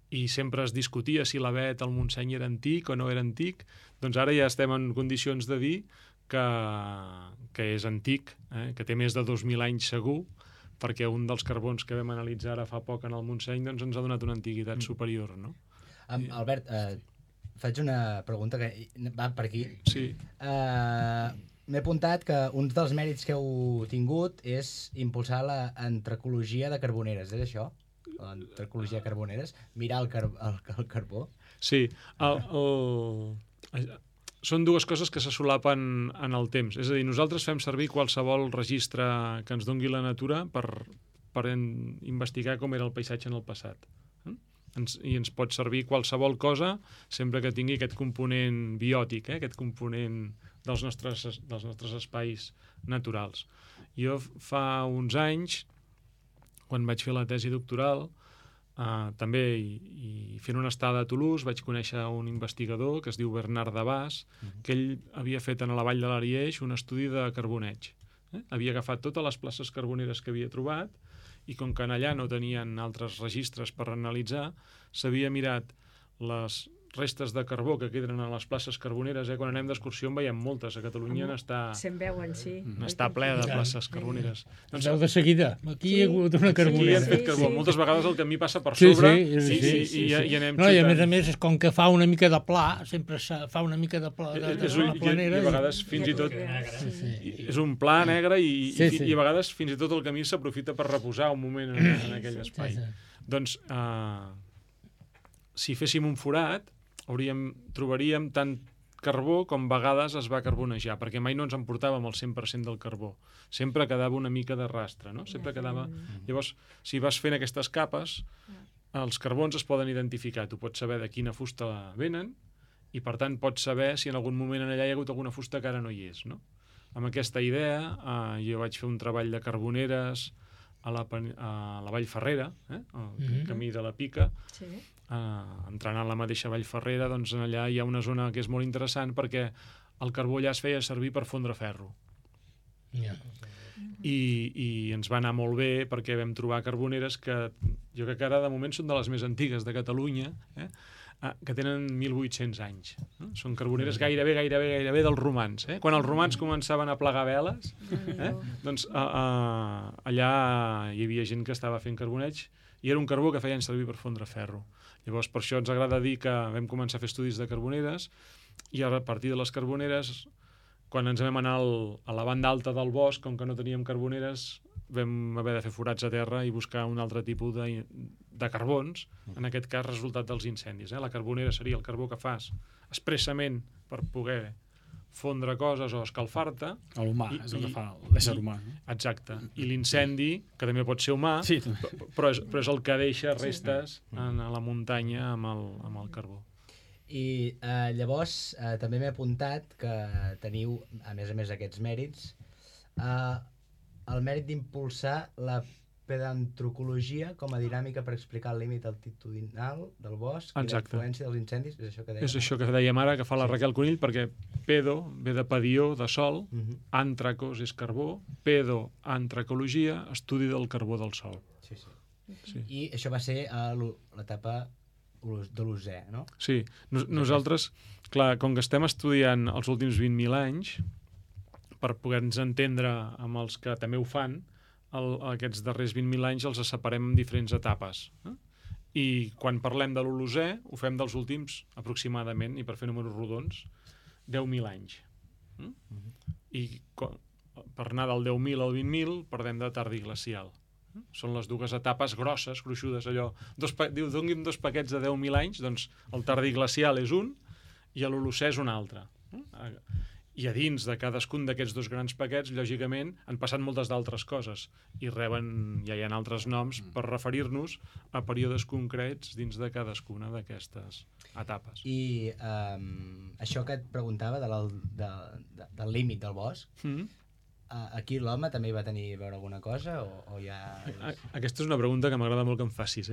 i sempre es discutia si l'avet al Montseny era antic o no era antic, doncs ara ja estem en condicions de dir que és antic, que té més de 2.000 anys segur, perquè un dels carbons que vam analitzar ara fa poc en el Montseny doncs ens ha donat una antiguitat superior, no? Albert, faig una pregunta que va per aquí. Sí. m'he apuntat que un dels mèrits que heu tingut és impulsar l'antropologia de carboneres, és això? L'antropologia de carboneres? Mirar el carbó? Sí, són dues coses que se solapen en el temps. És a dir, nosaltres fem servir qualsevol registre que ens dongui la natura per investigar com era el paisatge en el passat. I ens pot servir qualsevol cosa sempre que tingui aquest component biòtic, aquest component dels nostres espais naturals. Jo fa uns anys, quan vaig fer la tesi doctoral, també i fent una estada a Toulouse vaig conèixer un investigador que es diu Bernard Dabas, que ell havia fet a la vall de l'Ariège un estudi de carboneig. Havia agafat totes les places carboneres que havia trobat i com que allà no tenien altres registres per analitzar, s'havia mirat les restes de carbó que queden a les places carboneres. Quan anem d'excursió en veiem moltes. A Catalunya se'n veuen, sí. N'està ple de places carboneres. Doncs veu de seguida. Aquí hi ha hagut una carbonera. Sí, fet carbó. Moltes vegades el camí passa per sobre i anem xutant. I a més, com que fa una mica de pla, sempre fa una mica de pla de planera. I a vegades fins i tot és un pla negre i a vegades fins i tot el camí s'aprofita per reposar un moment en aquell espai. Doncs si féssim un forat trobaríem tant carbó com vegades es va carbonejar, perquè mai no ens emportàvem el 100% del carbó. Sempre quedava una mica de rastre, no? Sempre quedava... Llavors, si vas fent aquestes capes, els carbons es poden identificar. Tu pots saber de quina fusta venen i, per tant, pots saber si en algun moment allà hi ha hagut alguna fusta que ara no hi és, no? Amb aquesta idea, jo vaig fer un treball de carboneres a la Vall Ferrera, el camí de la Pica, entrant a la mateixa Vall Ferrera, doncs allà hi ha una zona que és molt interessant perquè el carbó allà es feia servir per fondre ferro. I ens va anar molt bé perquè vam trobar carboneres que jo crec que ara de moment són de les més antigues de Catalunya, que tenen 1.800 anys. Són carboneres gairebé dels romans. Quan els romans començaven a plegar veles, doncs allà hi havia gent que estava fent carboneig i era un carbó que feien servir per fondre ferro. Llavors, per això ens agrada dir que vam començar a fer estudis de carboneres i a partir de les carboneres, quan ens vam anar a la banda alta del bosc, com que no teníem carboneres, vam haver de fer forats a terra i buscar un altre tipus de carbons, en aquest cas resultat dels incendis. La carbonera seria el carbó que fas expressament per poder fondre coses o escalfar-te. L'humà, és el que fa l'ésser humà. Exacte. I l'incendi, que també pot ser humà, però és el que deixa restes a la muntanya amb el carbó. I llavors també m'he apuntat que teniu, a més aquests mèrits, el mèrit d'impulsar la pedantropologia com a dinàmica per explicar el límit altitudinal del bosc i la influència dels incendis. És això que dèiem, és això que dèiem ara, que fa la Raquel Conill, perquè pedo ve de pedió, de sol, antracos és carbó, pedo, antracologia, estudi del carbó del sol. Sí. I això va ser a l'etapa de l'Ozè, no? Sí. Nosaltres, clar, com que estem estudiant els últims 20.000 anys, per poder-nos entendre amb els que també ho fan, aquests darrers 20.000 anys els separem en diferents etapes. I quan parlem de l'Holocè ho fem dels últims aproximadament, i per fer números rodons, 10.000 anys. I per anar del 10.000 al 20.000 perdem de tardiglacial. Són les dues etapes grosses, gruixudes, allò. Diu, doni'm 2 paquets de 10.000 anys, doncs el tardiglacial és un i l'Holocè és un altre. I a dins de cadascun d'aquests 2 grans paquets, lògicament, han passat moltes d'altres coses i reben, ja hi ha altres noms per referir-nos a períodes concrets dins de cadascuna d'aquestes etapes. I això que et preguntava del límit del bosc, aquí l'home també va tenir a veure alguna cosa o ja... Aquesta és una pregunta que m'agrada molt que em facis,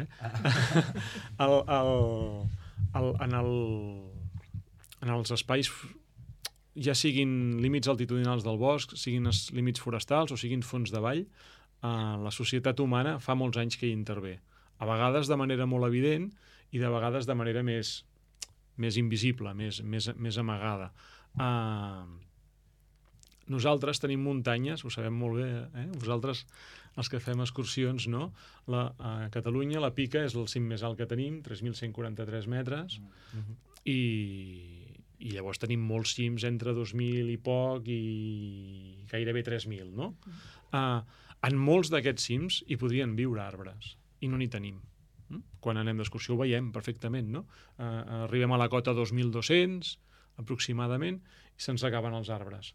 En els espais, ja siguin límits altitudinals del bosc, siguin els límits forestals o siguin fons de vall, la societat humana fa molts anys que hi intervé. A vegades de manera molt evident i de vegades de manera més invisible, més amagada. Nosaltres tenim muntanyes, ho sabem molt bé, vosaltres els que fem excursions, no? A Catalunya la Pica és el cim més alt que tenim, 3.143 metres, I llavors tenim molts cims entre 2.000 i poc i gairebé 3.000, no? En molts d'aquests cims hi podrien viure arbres, i no n'hi tenim. Quan anem d'excursió ho veiem perfectament, no? Arribem a la cota 2.200, aproximadament, i se'ns acaben els arbres.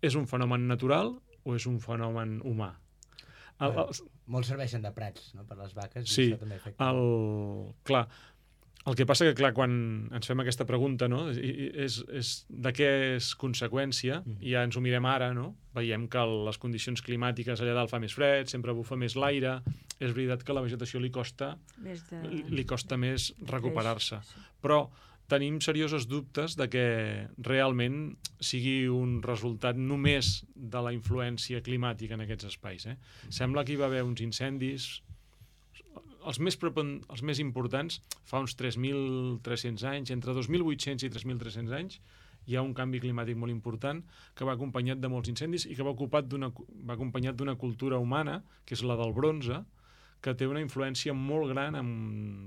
És un fenomen natural o és un fenomen humà? Molts serveixen de prats, no?, per les vaques. Sí, i això també afecta. clar, el que passa que, clar, quan ens fem aquesta pregunta, no?, és de què és conseqüència, i ja ens ho mirem ara, no? Veiem que les condicions climàtiques allà dalt fa més fred, sempre bufa més l'aire, és veritat que a la vegetació li costa més recuperar-se. Però tenim seriosos dubtes de que realment sigui un resultat només de la influència climàtica en aquests espais. Sembla que hi va haver uns incendis, els més importants, fa uns 3.300 anys, entre 2.800 i 3.300 anys, hi ha un canvi climàtic molt important que va acompanyat de molts incendis i que va acompanyat d'una cultura humana, que és la del bronze, que té una influència molt gran en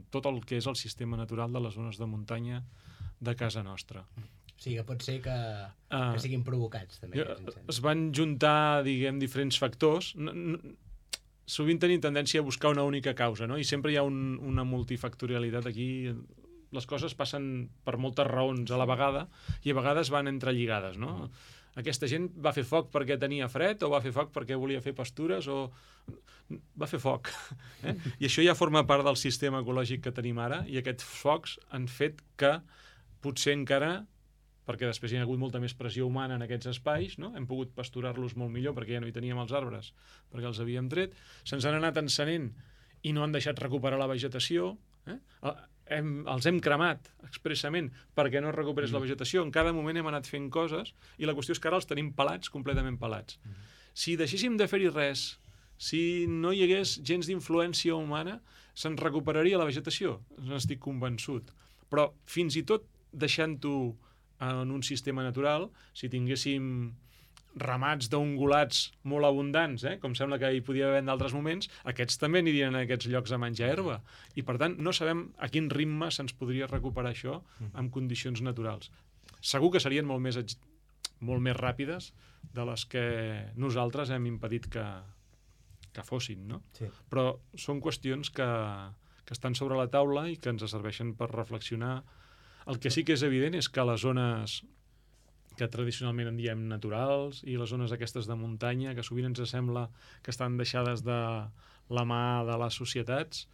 tot el que és el sistema natural de les zones de muntanya de casa nostra. O sigui, que pot ser que siguin provocats, també. Es van juntar, diguem, diferents factors. Sovint tenim tendència a buscar una única causa, no? I sempre hi ha una multifactorialitat aquí. Les coses passen per moltes raons a la vegada i a vegades van entrelligades, no? Aquesta gent va fer foc perquè tenia fred o va fer foc perquè volia fer pastures o va fer foc. I això ja forma part del sistema ecològic que tenim ara i aquests focs han fet que potser encara, perquè després hi ha hagut molta més pressió humana en aquests espais, no? Hem pogut pasturar-los molt millor perquè ja no hi teníem els arbres, perquè els havíem tret, se'ns han anat encenent i no han deixat recuperar la vegetació, els hem cremat expressament perquè no recuperés la vegetació. En cada moment hem anat fent coses i la qüestió és que ara els tenim pelats, completament pelats. Si deixéssim de fer-hi res, si no hi hagués gens d'influència humana, se'n recuperaria la vegetació, n'estic convençut. Però fins i tot deixant-ho en un sistema natural, si tinguéssim ramats d'ungulats molt abundants, com sembla que hi podia haver en d'altres moments, aquests també anirien a aquests llocs a menjar herba. I, per tant, no sabem a quin ritme se'ns podria recuperar això en condicions naturals. Segur que serien molt més ràpides de les que nosaltres hem impedit que fossin, no? Sí. Però són qüestions que estan sobre la taula i que ens serveixen per reflexionar. El que sí que és evident és que les zones que tradicionalment en diem naturals, i les zones aquestes de muntanya, que sovint ens sembla que estan deixades de la mà de les societats,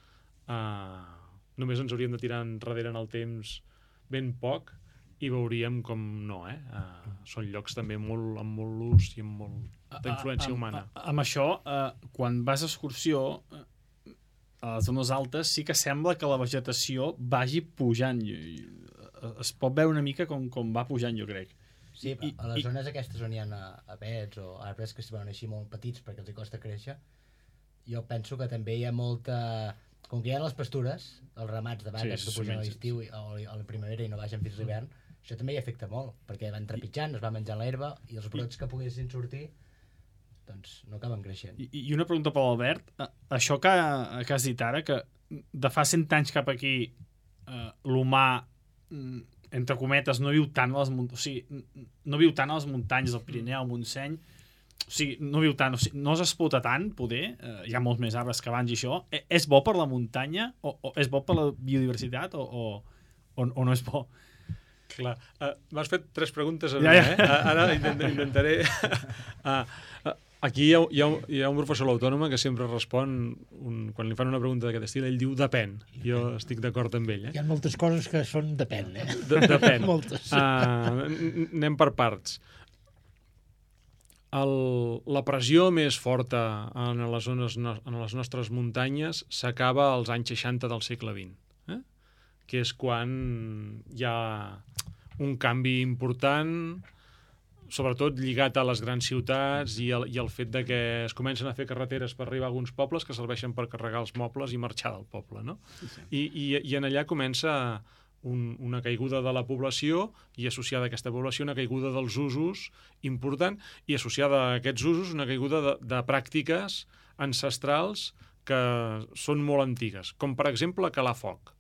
només ens hauríem de tirar enrere en el temps ben poc i veuríem com no, són llocs també amb molt l'ús i amb molta influència humana. Amb això, quan vas a excursió, a les zones altes sí que sembla que la vegetació vagi pujant. Es pot veure una mica com va pujant, jo crec. Sí, a les zones aquestes on hi ha avets o arbres que es veuen així molt petits perquè els costa créixer, jo penso que també hi ha molta... Com que hi ha les pastures, els ramats de vaques que pugen a l'estiu o a la primavera i no baixen fins a l'hivern, això també hi afecta molt, perquè van trepitjant, es va menjant l'herba i els brots que poguessin sortir doncs no acaben creixent. I una pregunta per l'Albert. Això que has dit ara, que de fa 100 anys cap aquí l'humà, entre cometes, no viu tant a les muntanyes, o sigui, no viu tant a les muntanyes del Pirineu, al Montseny, o sigui, no viu tant, o sigui, no s'explota tant, poder, hi ha molts més arbres que abans i això. És bo per la muntanya o és bo per la biodiversitat o no és bo? Clar, m'has fet 3 preguntes a mi, Ara intentaré... Aquí hi ha un professor a l'Autònoma que sempre respon, quan li fan una pregunta d'aquest estil, ell diu depèn. Jo estic d'acord amb ell. Hi ha moltes coses que són depèn. Depèn. Moltes. Anem per parts. La pressió més forta en les nostres muntanyes s'acaba als anys 60 del segle XX, que és quan hi ha un canvi important, sobretot lligat a les grans ciutats i el fet de que es comencen a fer carreteres per arribar a alguns pobles que serveixen per carregar els mobles i marxar del poble, no? Sí. I en allà comença una caiguda de la població i associada a aquesta població una caiguda dels usos important i associada a aquests usos una caiguda de pràctiques ancestrals que són molt antigues, com per exemple calar foc.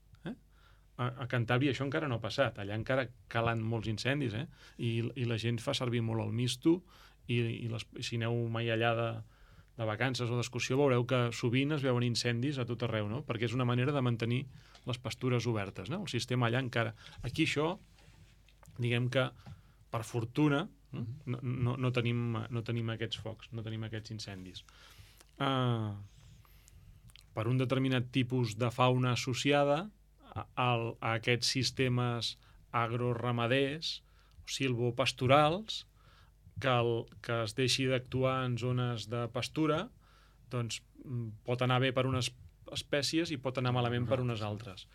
A Cantàbria això encara no ha passat. Allà encara calen molts incendis, i la gent fa servir molt el misto, i si aneu mai allà de vacances o d'excursió veureu que sovint es veuen incendis a tot arreu, no? Perquè és una manera de mantenir les pastures obertes, no? El sistema allà encara... Aquí això, diguem que, per fortuna, no tenim aquests focs, no tenim aquests incendis. Per un determinat tipus de fauna associada a aquests sistemes agroramaders o silvopastorals, que es deixi d'actuar en zones de pastura, doncs pot anar bé per unes espècies i pot anar malament per unes altres.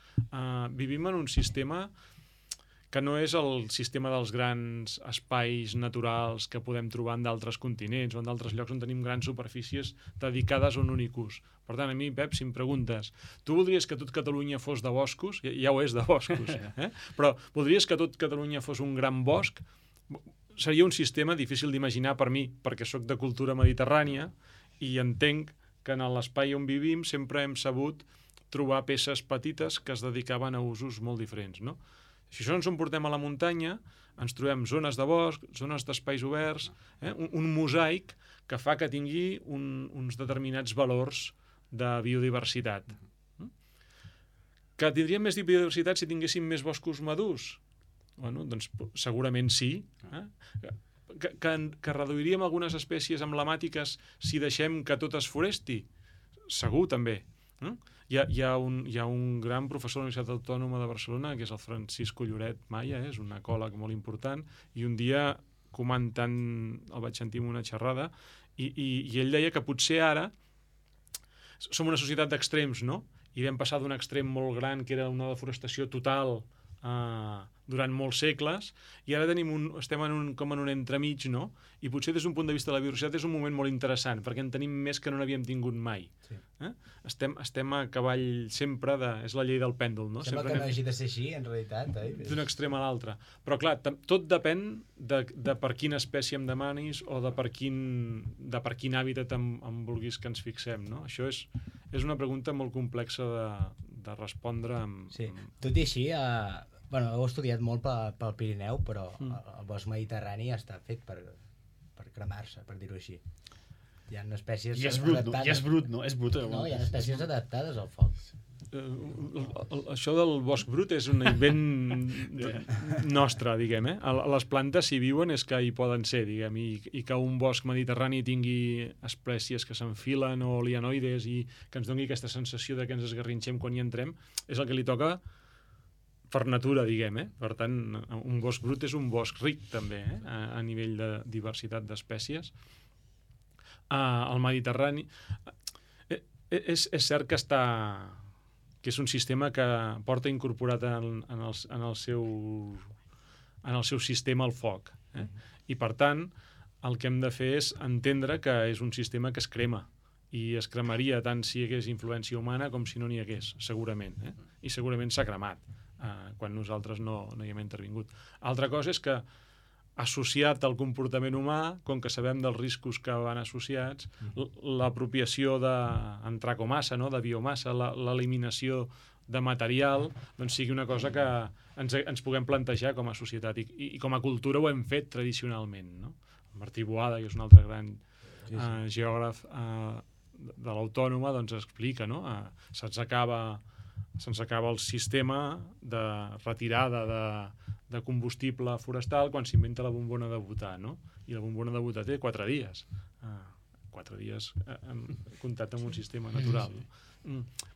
Vivim en un sistema que no és el sistema dels grans espais naturals que podem trobar en d'altres continents o en d'altres llocs on tenim grans superfícies dedicades a un únic ús. Per tant, a mi, Pep, si em preguntes, tu voldries que tot Catalunya fos de boscos? Ja ho és de boscos, però voldries que tot Catalunya fos un gran bosc? Seria un sistema difícil d'imaginar per mi, perquè sóc de cultura mediterrània i entenc que en l'espai on vivim sempre hem sabut trobar peces petites que es dedicaven a usos molt diferents, no? Si això ens ho portem a la muntanya, ens trobem zones de bosc, zones d'espais oberts, un mosaic que fa que tingui uns determinats valors de biodiversitat. Que tindríem més biodiversitat si tinguéssim més boscos madurs? Bueno, doncs segurament sí. Que reduiríem algunes espècies emblemàtiques si deixem que tot es foresti? Segur, també. Hi ha un gran professor de la Universitat Autònoma de Barcelona, que és el Francisco Lloret Maya, és un ecòleg molt important, i un dia comentant, el vaig sentir en una xerrada, i ell deia que potser ara som una societat d'extrems, no? I vam passar d'un extrem molt gran, que era una deforestació total, durant molts segles, i ara estem com en un entremig, no? I potser des d'un punt de vista de la biodiversitat és un moment molt interessant, perquè en tenim més que no n'havíem tingut mai. Sí. Estem a cavall sempre és la llei del pèndol, no? Sembla que no hagi de ser així, en realitat. D'un extrem a l'altre. Però clar, tot depèn de per quina espècie em demanis o de per quin hàbitat em vulguis que ens fixem, no? Això és una pregunta molt complexa de respondre amb... Sí, tot i així... heu estudiat molt pel Pirineu, però el bosc mediterrani està fet per cremar-se, per dir-ho així. Hi ha espècies adaptades. I és brut, no? És brut. No, hi ha espècies adaptades al foc. Això del bosc brut és un invent nostre, diguem. Les plantes, si viuen, és que hi poden ser, diguem, i que un bosc mediterrani tingui espècies que s'enfilen o lianoides i que ens doni aquesta sensació de que ens esgarrinxem quan hi entrem, és el que li toca per natura, diguem. Per tant, un bosc brut és un bosc ric, també, a nivell de diversitat d'espècies. El Mediterrani... És cert que és un sistema que porta incorporat en el seu sistema el foc. I, per tant, el que hem de fer és entendre que és un sistema que es crema, i es cremaria tant si hi hagués influència humana com si no n'hi hagués, segurament. I segurament s'ha cremat quan nosaltres no hi hem intervingut. Altra cosa és que, associat al comportament humà, com que sabem dels riscos que van associats, l'apropiació d'antracomassa, de biomassa, l'eliminació de material, doncs sigui una cosa que ens puguem plantejar com a societat. I com a cultura ho hem fet tradicionalment, no? Martí Boada, que és un altre gran geògraf de l'Autònoma, doncs explica, no? Se'ns acaba el sistema de retirada de combustible forestal quan s'inventa la bombona de butà, no? I la bombona de butà té 4 dies. 4 dies comptat amb un sistema natural.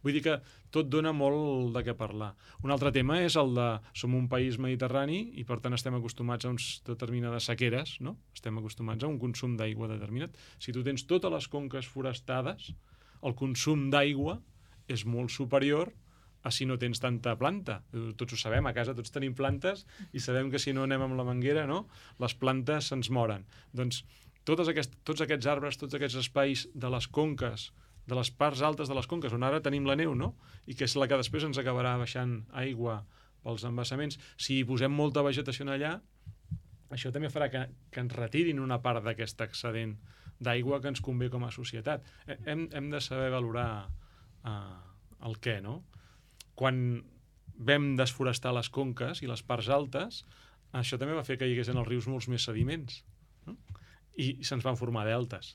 Vull dir que tot dona molt de què parlar. Un altre tema és el de som un país mediterrani i per tant estem acostumats a uns determinades sequeres, no? Estem acostumats a un consum d'aigua determinat. Si tu tens totes les conques forestades, el consum d'aigua és molt superior a si no tens tanta planta. Tots ho sabem, a casa tots tenim plantes i sabem que si no anem amb la manguera, no? Les plantes se'ns moren. Doncs tots aquests arbres, tots aquests espais de les conques, de les parts altes de les conques, on ara tenim la neu, no? I que és la que després ens acabarà baixant aigua pels embassaments. Si hi posem molta vegetació allà, això també farà que ens retirin una part d'aquest excedent d'aigua que ens convé com a societat. Hem de saber valorar el què, no? Quan vam desforestar les conques i les parts altes, això també va fer que hi hagués en els rius molts més sediments, no? I se'ns van formar deltes.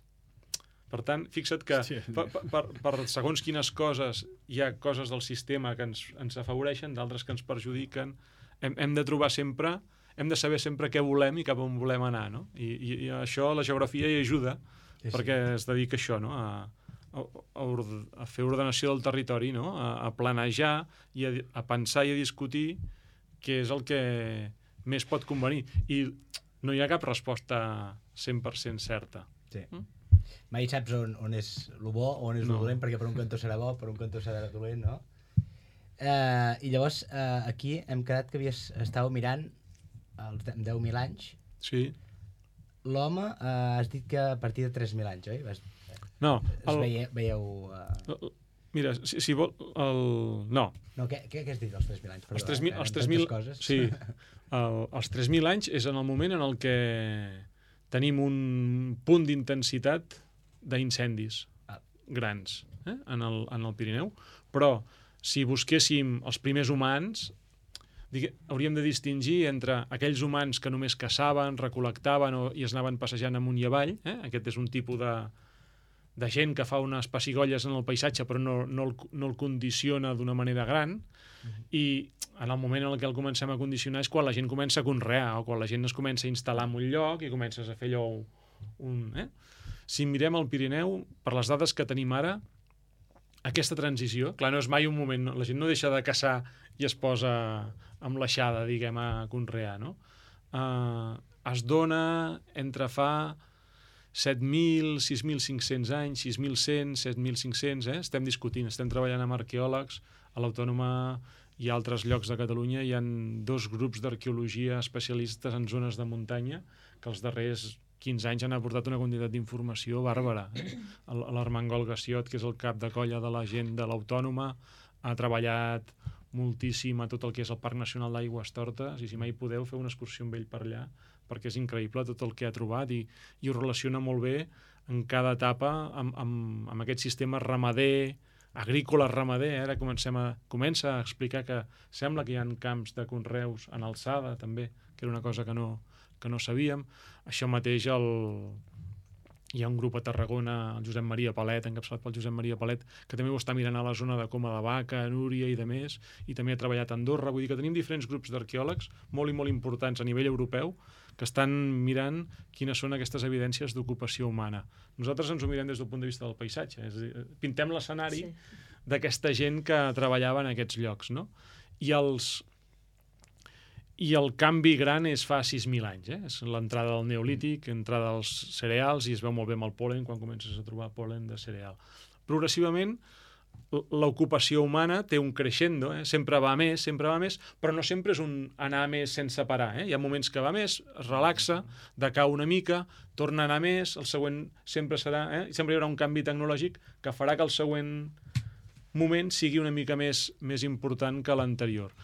Per tant, fixa't que per segons quines coses hi ha coses del sistema que ens afavoreixen, d'altres que ens perjudiquen. Hem de trobar sempre, hem de saber sempre què volem i cap on volem anar, no? I això la geografia hi ajuda, perquè es dedica a això, no? A fer ordenació del territori, no? A planejar i a pensar i a discutir què és el que més pot convenir. I no hi ha cap resposta 100% certa. Sí. Mai saps on és el bo o on és el dolent, perquè per un cantó serà bo, per un cantó serà dolent, no? I llavors aquí hem quedat que estàveu mirant els 10.000 anys. Sí. L'home, has dit que a partir de 3.000 anys, oi? No. Veieu... Mira, si vol... No. No, què has dit dels 3.000 anys? Els 3.000... Sí. Els 3.000 anys és en el moment en el que tenim un punt d'intensitat d'incendis grans en el Pirineu, però si busquéssim els primers humans, hauríem de distingir entre aquells humans que només caçaven, recol·lectaven i es anaven passejant amunt i avall, aquest és un tipus de gent que fa unes pessigolles en el paisatge però no el condiciona d'una manera gran, i en el moment en què el comencem a condicionar és quan la gent comença a conrear o quan la gent es comença a instal·lar en un lloc i comences a fer allò Si mirem el Pirineu, per les dades que tenim ara, aquesta transició, clar, no és mai un moment, la gent no deixa de caçar i es posa amb l'aixada, diguem, a conrear, no? Es dona entre fa 7.000, 6.500 anys, 6.100, 7.500, estem discutint, estem treballant amb arqueòlegs, a l'Autònoma i a altres llocs de Catalunya hi ha 2 grups d'arqueologia especialistes en zones de muntanya que els darrers 15 anys han aportat una quantitat d'informació bàrbara. L'Armengol Gassiot, que és el cap de colla de la gent de l'Autònoma, ha treballat moltíssim a tot el que és el Parc Nacional d'Aigüestortes, i si mai podeu fer una excursió amb ell per allà, perquè és increïble tot el que ha trobat i ho relaciona molt bé en cada etapa amb aquest sistema ramader, agrícola ramader. Ara comença a explicar que sembla que hi ha camps de conreus en alçada també, que era una cosa que no sabíem. Això mateix hi ha un grup a Tarragona, el Josep Maria Palet, encapçalat pel Josep Maria Palet, que també ho està mirant a la zona de Coma de Vaca, Núria i de més, i també ha treballat a Andorra. Vull dir que tenim diferents grups d'arqueòlegs molt i molt importants a nivell europeu que estan mirant quines són aquestes evidències d'ocupació humana. Nosaltres ens ho mirem des del punt de vista del paisatge, és a dir, pintem l'escenari d'aquesta gent que treballava en aquests llocs, no? I el canvi gran és fa 6.000 anys, és l'entrada del Neolític, entrada dels cereals, i es veu molt bé amb el pol·len quan comences a trobar pol·len de cereal. Progressivament, l'ocupació humana té un crescendo, sempre va més, però no sempre és un anar més sense parar. Hi ha moments que va més, es relaxa, decau una mica, torna a anar més, el següent sempre serà... Sempre hi haurà un canvi tecnològic que farà que el següent moment sigui una mica més important que l'anterior.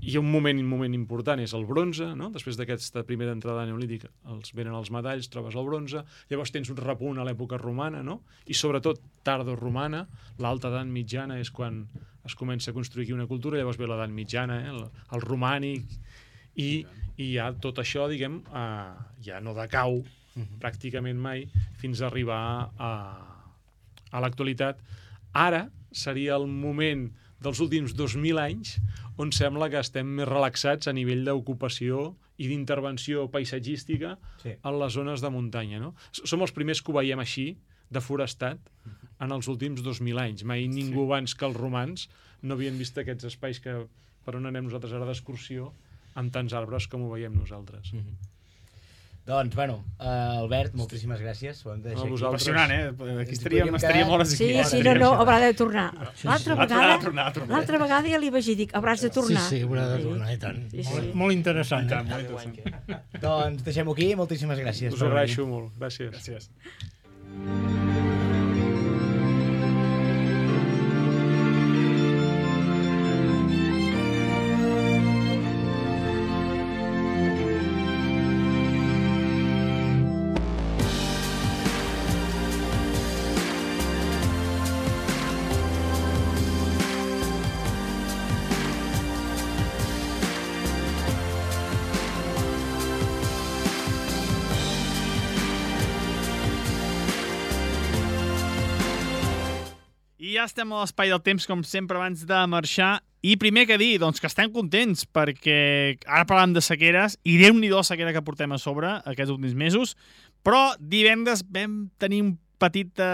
I un moment important és el bronze, no? Després d'aquesta primera entrada neolítica venen els metalls, trobes el bronze, llavors tens un repunt a l'època romana, no? I sobretot tardoromana, l'alta edat mitjana és quan es comença a construir aquí una cultura, llavors ve l'edat mitjana, el romànic, i ja tot això, diguem, ja no decau pràcticament mai fins a arribar a l'actualitat. Ara seria el moment dels últims 2.000 anys on sembla que estem més relaxats a nivell d'ocupació i d'intervenció paisatgística en les zones de muntanya, no? Som els primers que ho veiem així, deforestat, en els últims 2.000 anys. Mai ningú abans que els romans no havien vist aquests espais per on anem nosaltres ara d'excursió amb tants arbres com ho veiem nosaltres. Doncs, bueno, Albert, moltíssimes gràcies. Impressionant, Aquí estaríem hores i hores. Sí, no, haurà de tornar. L'altra vegada ja li vaig dir, hauràs de tornar. Sí, haurà de tornar, i tant. Molt interessant. Doncs deixem-ho aquí, moltíssimes gràcies. Us ho agraeixo molt, gràcies. ja estem a l'espai del temps, com sempre, abans de marxar. I primer que dir, doncs, que estem contents, perquè ara parlem de sequeres, i Déu-n'hi-do la sequera que portem a sobre aquests últims mesos, però divendres vam tenir un petit,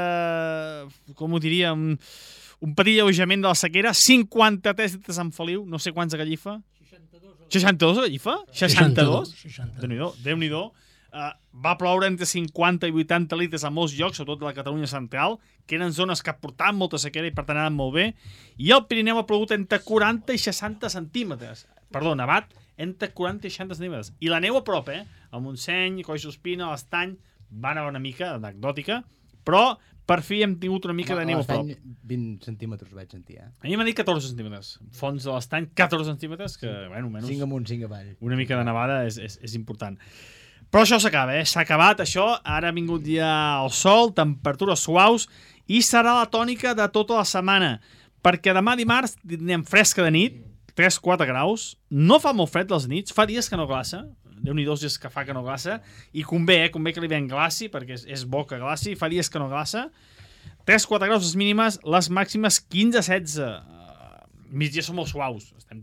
com ho diria, un petit alleujament de la sequera, 53 litres en Feliu, no sé quants a Gallifa. 62 a Gallifa? 62? Déu-n'hi-do. Va ploure entre 50 i 80 litres a molts llocs, sobretot a la Catalunya central, que eren zones que portaven molta sequera i per tant anaven molt bé, i el Pirineu ha plogut entre 40 i 60 centímetres. Perdó, nevat entre 40 i 60 centímetres. I la neu a prop, a Montseny, Collsospina, a l'Estany, va anar una mica anecdòtica, però per fi hem tingut una mica de neu a prop. 20 centímetres vaig sentir, A mi m'ha dit 14 centímetres. Fons de l'Estany, 14 centímetres, que, bueno, menys... 5 amunt, 5 avall. Una mica de nevada és important. Però això s'acaba, s'ha acabat això, ara ha vingut ja el sol, temperatures suaus, i serà la tònica de tota la setmana, perquè demà dimarts anem fresca de nit, 3-4 graus, no fa molt fred les nits, fa dies que no glaça, Déu-n'hi-do els dies que fa que no glaça, i convé que li ven glaci, perquè és bo que glaci, fa dies que no glaça, 3-4 graus les mínimes, les màximes 15-16, migdia són molt suaus, estem